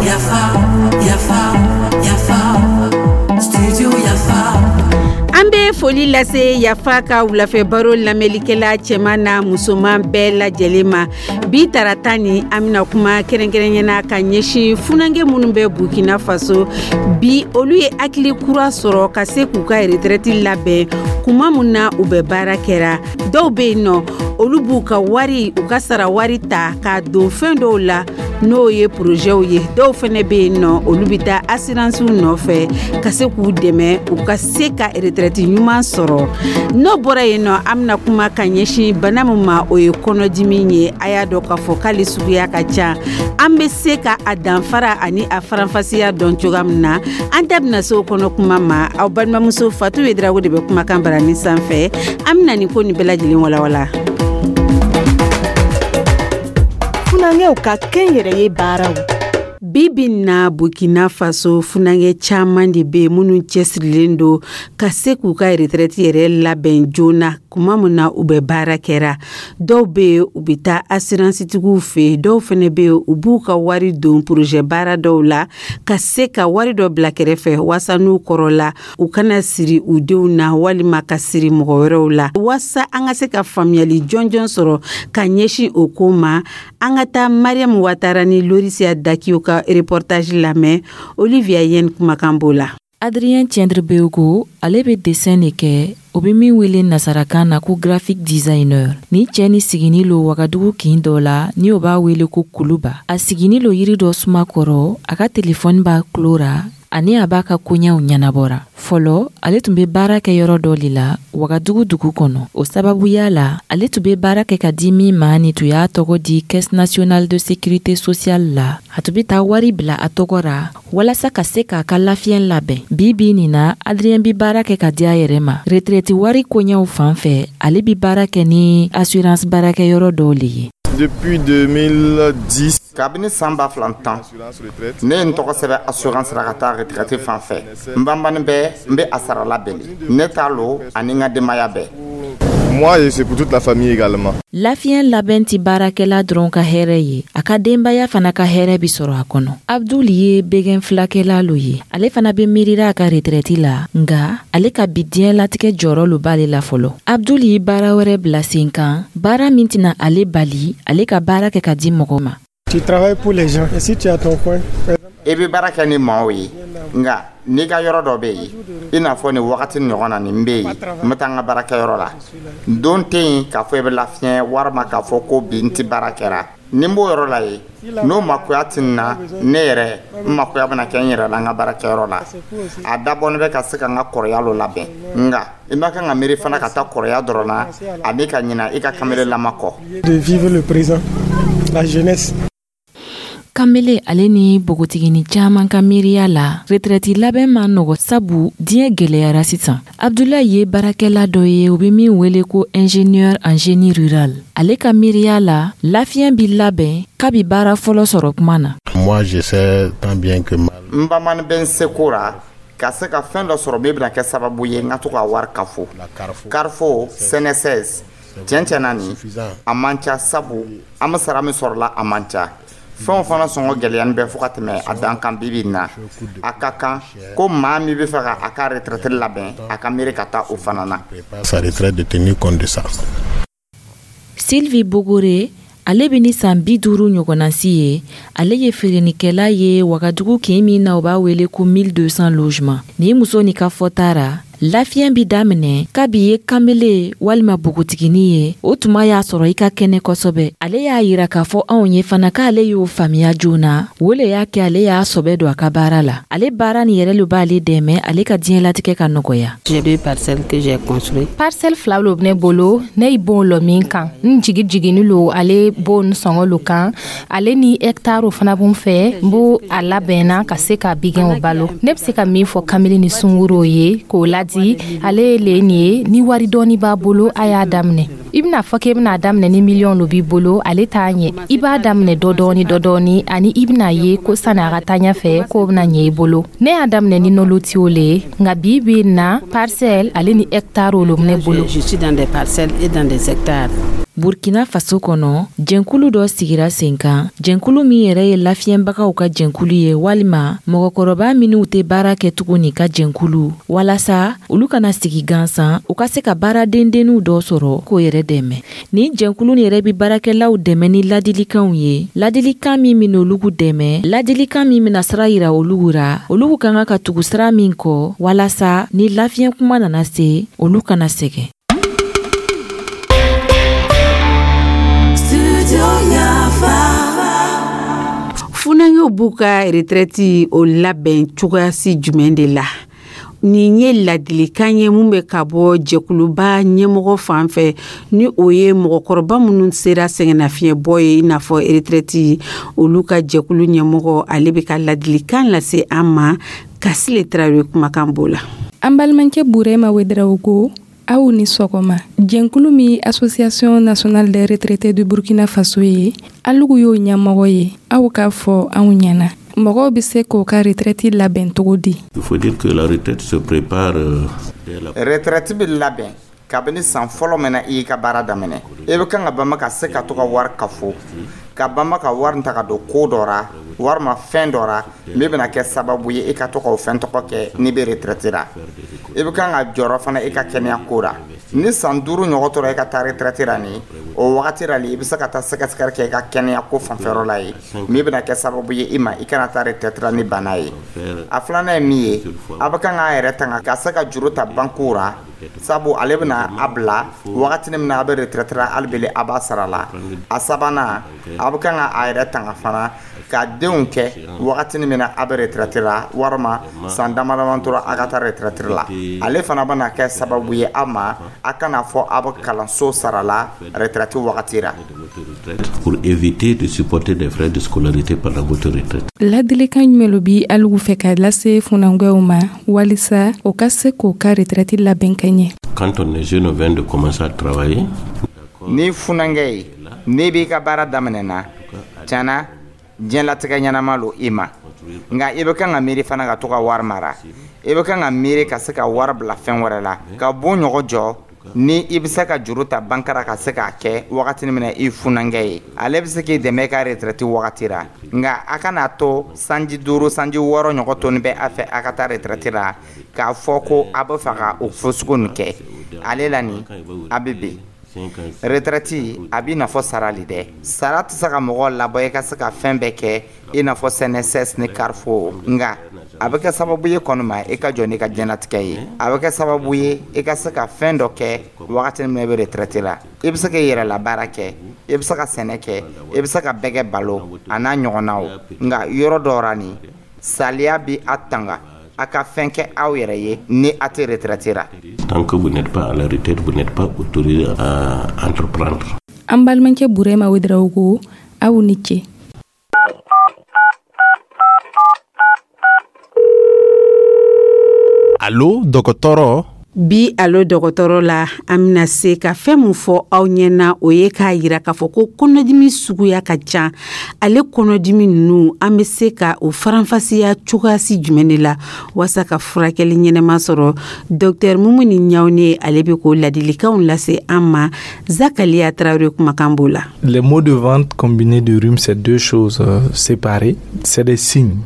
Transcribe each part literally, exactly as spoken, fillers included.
Yafa, yafa, yafa, studio Yafa. An bɛ foli lase Yafa ka wulafɛ baro lamɛnlikɛla cɛman n'a musoman bɛɛ lajɛlen ma. Bi tarata ni, an bɛna kuma kɛrɛnkɛrɛnyana ka ɲɛsin funankɛ minnu bɛ Burkina Faso bi, olu ye hakili kura sɔrɔ ka se k'u ka retraite labɛn kuma min na u bɛ baara kɛra. Dɔw bɛ yen nɔ, olu b'u ka wari, u ka sara wari ta k'a don fɛn dɔw la, n'o ye porozɛw ye. Dɔw fana bɛ yen nɔ, olu bɛ taa assurancew nɔfɛ ka se k'u dɛmɛ u ka se ka retraite ɲuman sɔrɔ. N'o bɔra yen nɔ, an bɛna kuma ka ɲɛsin bana min ma, o ye kɔnɔdimi ye. A y'a dɔn k'a fɔ k'ale suguya ka ca, an bɛ se ka a danfara ani a faranfasiya dɔn cogoya min na, an da bɛna se o kɔnɔ kuma ma. Aw balimamuso Fatu Yedrago de bɛ kumakan barani sanfɛ. An bɛna nin ko nin bɛɛ lajɛlen walawala. Funankɛw ka kɛnyɛrɛye baaraw. Bi bi na, Burkina Faso, funankɛ caman de bɛ yen minnu cɛsirilen don ka se k'u ka retraite yɛrɛ labɛn joona kuma min na u bɛ baara kɛra. Dɔw bɛ yen, u bɛ taa assurance tigiw fɛ yen. Dɔw fana bɛ yen, u b'u ka wari don projet baara dɔw la ka se ka wari dɔ bila kɛrɛfɛ, waasa n'u kɔrɔla, u kana siri u denw na walima ka siri mɔgɔ wɛrɛw la. Waasa an ka se ka faamuyali jɔnjɔn sɔrɔ ka ɲɛsin o ko ma, an ka taa Mariam Watara ni Lorisia Dakiyo ka reportage lamɛn. Olivia Yen kumakan b'o la. Adrien Tiendrebeogo, ale bɛ dessin de kɛ, o bɛ min wele nasarakan na ko graphic designer. Ni cɛ ni sigini lo Wagadugu kin dɔ la, ni o b'a wele ko Kuluba. A sigini lo yiri dɔ suma kɔrɔ, a ka telefɔni b'a tulo ra ani a b'a ka koɲɛw ɲɛnabɔra. Fɔlɔ, ale tun bɛ baara kɛ yɔrɔ dɔ de la Wagadugu dugu kɔnɔ. O sababuya la, ale tun bɛ baara kɛ ka di min ma, ni tun y'a tɔgɔ di Caisse nationale de sécurité sociale la, a tun bɛ taa wari bila a tɔgɔ ra walasa ka se k'a ka lafiyɛn labɛn. Bi bi nin na, Adrien bi baara kɛ ka di a yɛrɛ ma. Retraite wari koɲɛw fan fɛ, ale bi baara kɛ ni assurance baarakɛyɔrɔ dɔw le ye. Depuis deux mille dix, Kabini san ba fila tan, ne ye n tɔgɔ sɛbɛn assurance la ka taa retraite fan fɛ. N banbani bɛ, n bɛ a sara labɛnni ne t'a lo ani n ka denbaya bɛɛ. Moi et c'est pour toute la famille également. Lafiyɛn labɛn ti baarakɛla dɔrɔn ka hɛrɛ ye, a ka denbaya fana ka hɛrɛ bi sɔrɔ a kɔnɔ. Abdul ye bɛgɛn filakɛla lo ye. Ale fana be miirira a ka retraite la, nga ale ka bi diɲɛlatigɛ jɔyɔrɔ lo b'ale la fɔlɔ. Abdul ye baara wɛrɛ bila sen kan, baara min tɛna ale bali ale ka baara kɛ ka di mɔgɔ ma. Tu travailles pour les gens. Et si tu as ton coin, I bɛ baara kɛ ni maaw ye, nka n'i ka yɔrɔ dɔ bɛ yen, i n'a fɔ nin wagati ɲɔgɔn na, nin bɛ yen, n bɛ taa n ka baarakɛyɔrɔ la. Don tɛ yen k'a fɔ i bɛ lafiɲɛ walima k'a fɔ ko bi n tɛ baara kɛra. Ni n b'o yɔrɔ la yen, n'o makoya tɛ n na, ne yɛrɛ n makoya bɛna kɛ n yɛrɛ la n ka baarakɛyɔrɔ la. A dabɔnen bɛ ka se ka n ka kɔrɔya lo labɛn, nka i ma kan ka miiri fana ka taa kɔrɔya dɔrɔn na ani ka ɲina i ka kamelelama kɔ. De vivre le présent, la jeunesse. Kamele ale ni bogotigini caaman ka miiriya la, retraite labɛn ma nɔgɔ, sabu diɲɛ gwɛlɛyara sisan. Abdulayi ye baarakɛla dɔ ye, u be min wele ko ingénieur en génie rural. Ale ka miiriya la, lafiyɛn bi labɛn kabi baara fɔlɔ sɔrɔ kuma na. Moi, j'essaie tant bien que mal. N bamani bɛ n seko ra ka se ka fɛn dɔ sɔrɔ min bɛna kɛ sababu ye n ka to ka wari kafo, karifo C N S S. Tiɲɛ tiɲɛ na, nin a man ca, sabu an bɛ sara min sɔrɔla, a man ca. Fɛnw fana sɔngɔ gɛlɛyani bɛ fo ka tɛmɛ a dan kan. Bibi in na, a ka kan ko maa min bɛ fɛ ka a ka retraite labɛn, a ka miiri ka taa o fana na. Sa retraite, de tenir compte de ça. Sylvie Bogore, ale bɛ ni san bi duuru ɲɔgɔnnasi ye. Ale ye feerenikɛla ye Wagadugu kin min na, u b'a wele ko mille deux cents logement. Nin muso ni ka fɔta ra, lafiyɛn bi daminɛ kabi ye kamele walima bogotigini ye, o tuma y'a sɔrɔ i ka kɛnɛ kosɛbɛ. Ale y'a yira k'a fɔ anw ye fana k'ale y'o faamuya joona. O le y'a kɛ ale y'a sɔbɛ don a ka baara la. Ale baara nin yɛrɛ lo b'ale dɛmɛ ale ka diɲɛlatigɛ ka nɔgɔya. Parcelle fila lo ne bolo, ne ye bon lɔ min kan, n jigi jigini lo ale bon sɔngɔ lo kan. Ale ni hectare fana b'n fɛ, n b'o a labɛnna ka se ka bigɛnw balo. Ne bɛ se ka min fɔ kamele ni sunguruw ye k'o ladi, ale ye le nin ye, ni wari dɔɔni b'a bolo, a y'a daminɛ. I bɛna fɔ k'e bɛna daminɛ ni miliyɔn lo b'i bolo, ale t'a ɲɛ. I b'a daminɛ dɔ dɔɔni dɔ dɔɔni, ani i bɛna ye ko sani a ka taa ɲɛfɛ, k'o bɛna ɲɛ i bolo. Ne y'a daminɛ ni nolotiw le ye, nka bi bi in na, parcelle ale ni hectare lo ne bolo. Je suis dans des parcelles et dans des hectares. Burkina Faso kɔnɔ, jɛnkulu dɔ sigira sen kan, jɛnkulu min yɛrɛ ye lafiyɛnbagaw ka jɛnkulu ye, walima mɔgɔkɔrɔba minw tɛ baara kɛ tuguni ka jɛnkulu, walasa olu kana sigi gansan, u ka se ka baara dendenninw dɔ sɔrɔ k'o yɛrɛ dɛmɛ. Nin jɛnkulu yɛrɛ bɛ baarakɛlaw dɛmɛ ni ladilikanw ye, ladilikan min bɛna olugu dɛmɛ, ladilikan min bɛna sira yira olugu ra, olugu ka kan ka tugu sira min kɔ, walasa ni lafiyɛn kuma nana se, olu kana sɛgɛn. Funankɛw b'u ka retraite o labɛn cogoyasi jumɛn de la? Nin ye ladilikan ye mun bɛ ka bɔ jɛkuluba ɲɛmɔgɔ fan fɛ, ni o ye mɔgɔkɔrɔba minnu sera sɛgɛnnafiɲɛbɔ ye, i n'a fɔ retraite, olu ka jɛkulu ɲɛmɔgɔ, ale bɛ ka ladilikan lase an ma. Kasile Tarawele kumakan b'o la. An balimakɛ Burema Ouédraogo, aw ni sɔgɔma. Jɛnkulu min Association nationale des retraités du Burkina Faso ye, alugu y'o ɲɛmɔgɔ ye, aw k'a fɔ anw ɲɛna, mɔgɔw bɛ se k'o ka retraite labɛn cogo di? Il faut dire que la retraite se prépare. Retraite bɛ labɛn kabini san fɔlɔ min na i y'i ka baara daminɛ. I bɛ kan ka banba ka se ka to ka wari kafo, ka banba ka wari ta ka don ko dɔ ra, walima fɛn dɔ ra min bɛna kɛ sababu ye i ka to k'o fɛn tɔgɔ kɛ n'i bɛ retraite la. I bɛ kan ka jɔrɔ fana i ka kɛnɛya ko la. Ni san duuru ɲɔgɔn tora i ka taa retraite la, nin o wagati la, i bɛ se ka taa sɛgɛsɛgɛli kɛ i ka kɛnɛya ko fanfɛyɔrɔ la ye, min bɛna kɛ sababu ye i ma i kana taa retraite la ni bana ye. A filanan ye min ye, a bɛ kan k'a yɛrɛ tanga ka se ka juru ta banque ra, sabu ale bɛna a bila wagati min na a bɛ retraite la, hali bele a b'a sara la. A sabanan, a bɛ kan k'a yɛrɛ tanga fana ka denw kɛ wagati min na a bɛ retraite la, walima san dama dama tora a ka taa retraite la. Ale fana bɛna kɛ sababu ye a ma a kana fɔ a bɛ kalanso sara la retraite wagati la. Pour éviter de supporter des frais de scolarité pendant votre retraite. Ladilikan jumɛn lo bi alugu fɛ ka lase funankɛw ma walisa o ka se k'o ka retraite labɛn ka ɲɛ? Quand on est jeune, on vient de commencer à travailler. Ni funankɛ ye, n'i b'i ka baara daminɛ na, tiɲɛna diɲɛlatigɛ ɲɛnama lo i ma, nka i bɛ kan ka miiri fana ka to ka wari mara. I bɛ kan ka miiri ka se ka wari bila fɛn wɛrɛ la, ka bon ɲɔgɔn jɔ. Ni i bɛ se ka juru ta bankara ka se k'a kɛ wagati min na i funankɛ ye, ale bɛ se k'i dɛmɛ i ka retraite wagati la. Nka a kana to sanji duuru, sanji wɔɔrɔ ɲɔgɔn toni bɛ a fɛ a ka taa retraite la, k'a fɔ ko a bɛ fɛ ka o fasugu nin kɛ ale la, nin a bɛ bin. Retraite a b'i n'a fɔ sara le dɛ. Sara tɛ se ka mɔgɔ labɔ i ka se ka fɛn bɛɛ kɛ, i n'a fɔ C N S S ni Carrefour, nka a bɛ kɛ sababu ye kɔni ma i ka jɔ n'i ka diɲɛlatigɛ ye. A bɛ kɛ sababu ye i ka se ka fɛn dɔ kɛ wagati min na i bɛ retraite la. I bɛ se k'i yɛrɛ la baara kɛ, i bɛ se ka sɛnɛ kɛ, i bɛ se ka bɛgɛ balo a n'a ɲɔgɔnnaw. Nka yɔrɔ dɔ la, nin saliya bɛ a tanga a ka fɛn kɛ aw yɛrɛ ye ni a tɛ retraite la. Tant que vous n'êtes pas à la retraite, vous n'êtes pas autorisé à entreprendre. An balimakɛ Burema Ouédraogo, aw ni ce. Allo dɔgɔtɔrɔ. Bi alo dɔgɔtɔrɔ la, an bɛna se ka fɛn min fɔ aw ɲɛna, o ye k'a yira k'a fɔ ko kɔnɔdimi suguya ka ca. Ale kɔnɔdimi ninnu, an bɛ se ka o faranfasiya cogoyasi jumɛn de la walasa ka furakɛli ɲɛnɛma sɔrɔ? Docteur Mumuni Ɲawune, ale bɛ k'o ladilikanw lase an ma. Zakaliya Tarawele kumakan b'o la. Les maux de ventre combinés de rhume, c'est deux choses euh, séparées, c'est des signes.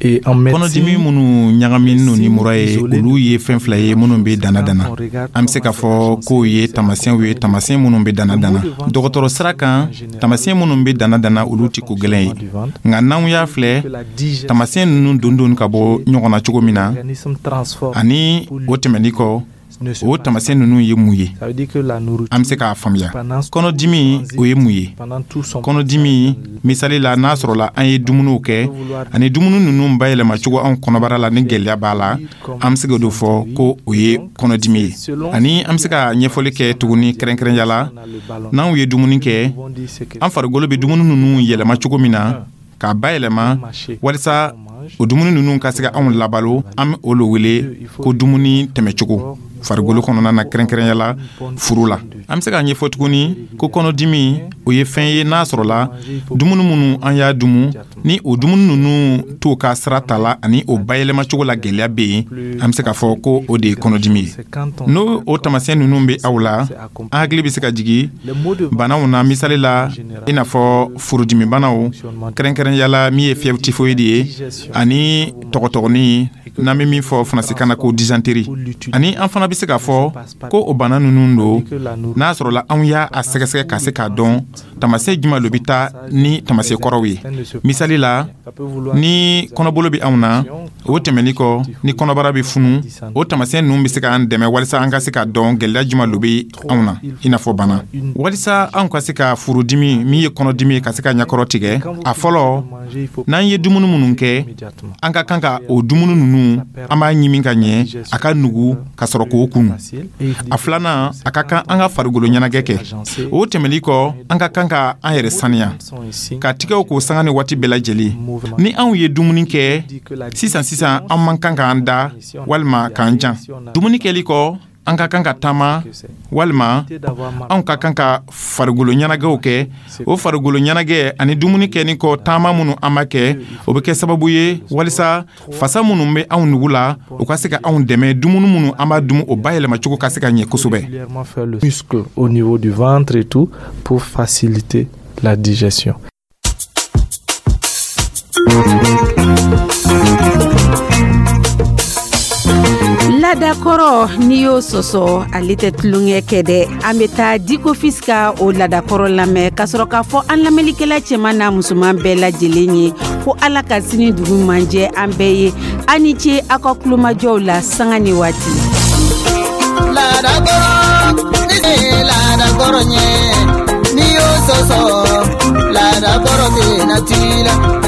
Kɔnɔdimi minnu ɲagaminen ni mura ye, olu ye fɛn fila ye minnu bɛ danna danna. An bɛ se k'a fɔ k'o ye taamasiyɛnw ye, taamasiyɛn minnu bɛ danna danna. Dɔgɔtɔrɔ sira kan, taamasiyɛn minnu bɛ danna danna, olu tɛ ko gɛlɛn ye. Nka n'anw y'a filɛ, taamasiyɛn ninnu don don ka bɔ ɲɔgɔn na cogo min na, ani o tɛmɛni kɔ, o taamasiyɛn ninnu ye mun ye, an bɛ se k'a faamuya. Kɔnɔdimi, o ye mun ye? Kɔnɔdimi, misali la, n'a sɔrɔla an ye dumuniw kɛ ani dumuni ninnu bayɛlɛma cogo anw kɔnɔbara la, ni gɛlɛya b'a la, an bɛ se k'o de fɔ ko o ye kɔnɔdimi ye. Ani an bɛ se ka ɲɛfɔli kɛ tuguni, kɛrɛnkɛrɛnya la, n'anw ye dumuni kɛ, an farikolo bɛ dumuni ninnu yɛlɛma cogo min na k'a bayɛlɛma walisa o dumuni ninnu ka se ka anw labalo, an bɛ o le wele ko dumuni tɛmɛcogo. farikolo kɔnɔna na, kɛrɛnkɛrɛnya la furu la. An bɛ se k'a ɲɛfɔ tuguni ko kɔnɔdimi, o ye fɛn ye n'a sɔrɔla dumuni minnu an y'a dumu, ni o dumuni ninnu t'o ka sira ta la ani o bayɛlɛmacogo la gɛlɛya bɛ yen, an bɛ se k'a fɔ ko o de ye kɔnɔdimi ye. N'o o taamasiyɛn ninnu bɛ aw la, an hakili bɛ se ka jigin banaw na, misali la i n'a fɔ furudimibanaw, kɛrɛnkɛrɛnya la min ye fièvre typhoïde ye, ani tɔgɔtɔgɔnin n'an bɛ min fɔ faransikan na ko dysenterie. Ani an fana bɛ se k'a fɔ ko o bana ninnu don, n'a sɔrɔla anw y'a a sɛgɛsɛgɛ ka se k'a dɔn taamasiyɛn jumɛn lo bɛ taa ni taamasiyɛn kɔrɔw ye. Misali la, ni kɔnɔbolo bɛ anw na, o tɛmɛni kɔ ni kɔnɔbara bɛ funu, o taamasiyɛn ninnu bɛ se k'an dɛmɛ walisa an ka se k'a dɔn gɛlɛya jumɛn lo bɛ anw na, i n'a fɔ bana. Walisa anw ka se ka furudimi min ye kɔnɔdimi ye ka se ka ɲɛkɔrɔ tigɛ, a fɔlɔ, n'an ye dumuni minnu kɛ, an ka kan ka o dumuni ninnu, an b'a ɲimi ka ɲɛ, a ka nugu ka sɔrɔ k'o kunu. A filanan, a ka kan an ka farikolo ɲɛnajɛ kɛ. O tɛmɛli kɔ, an ka kan ka an yɛrɛ saniya, ka tigɛw k'o sanga ni waati bɛɛ lajɛlen. Ni anw ye dumuni kɛ sisan sisan, an man kan k'an da walima k'an jan. Dumuni kɛli kɔ, an ka kan ka taama walima anw ka kan ka farikolo ɲɛnajɛw kɛ. O farikolo ɲɛnajɛ ani dumuni kɛni kɔ taama minnu an b'a kɛ, o bɛ kɛ sababu ye walisa fasa minnu bɛ anw nugu la, u ka se ka anw dɛmɛ dumuni minnu an b'a dun, o bayɛlɛmacogo ka se ka ɲɛ kosɛbɛ. Muscles au niveau du ventre et tout pour faciliter la digestion. Ladakɔrɔ, n'i y'o sɔsɔ, ale tɛ tulonkɛ kɛ dɛ. An bɛ taa Dikofis ka o ladakɔrɔ lamɛn ka sɔrɔ k'a fɔ an lamɛnlikɛla cɛman n'a musoman bɛɛ lajɛlen ye ko Ala ka sini dugu man jɛ an bɛɛ ye. An ni ce aw ka kulomajɔw la sanga ni waati. Ladakɔrɔ ni ladakɔrɔ ɲɛ, n'i y'o sɔsɔ, ladakɔrɔ tɛ na t'i la.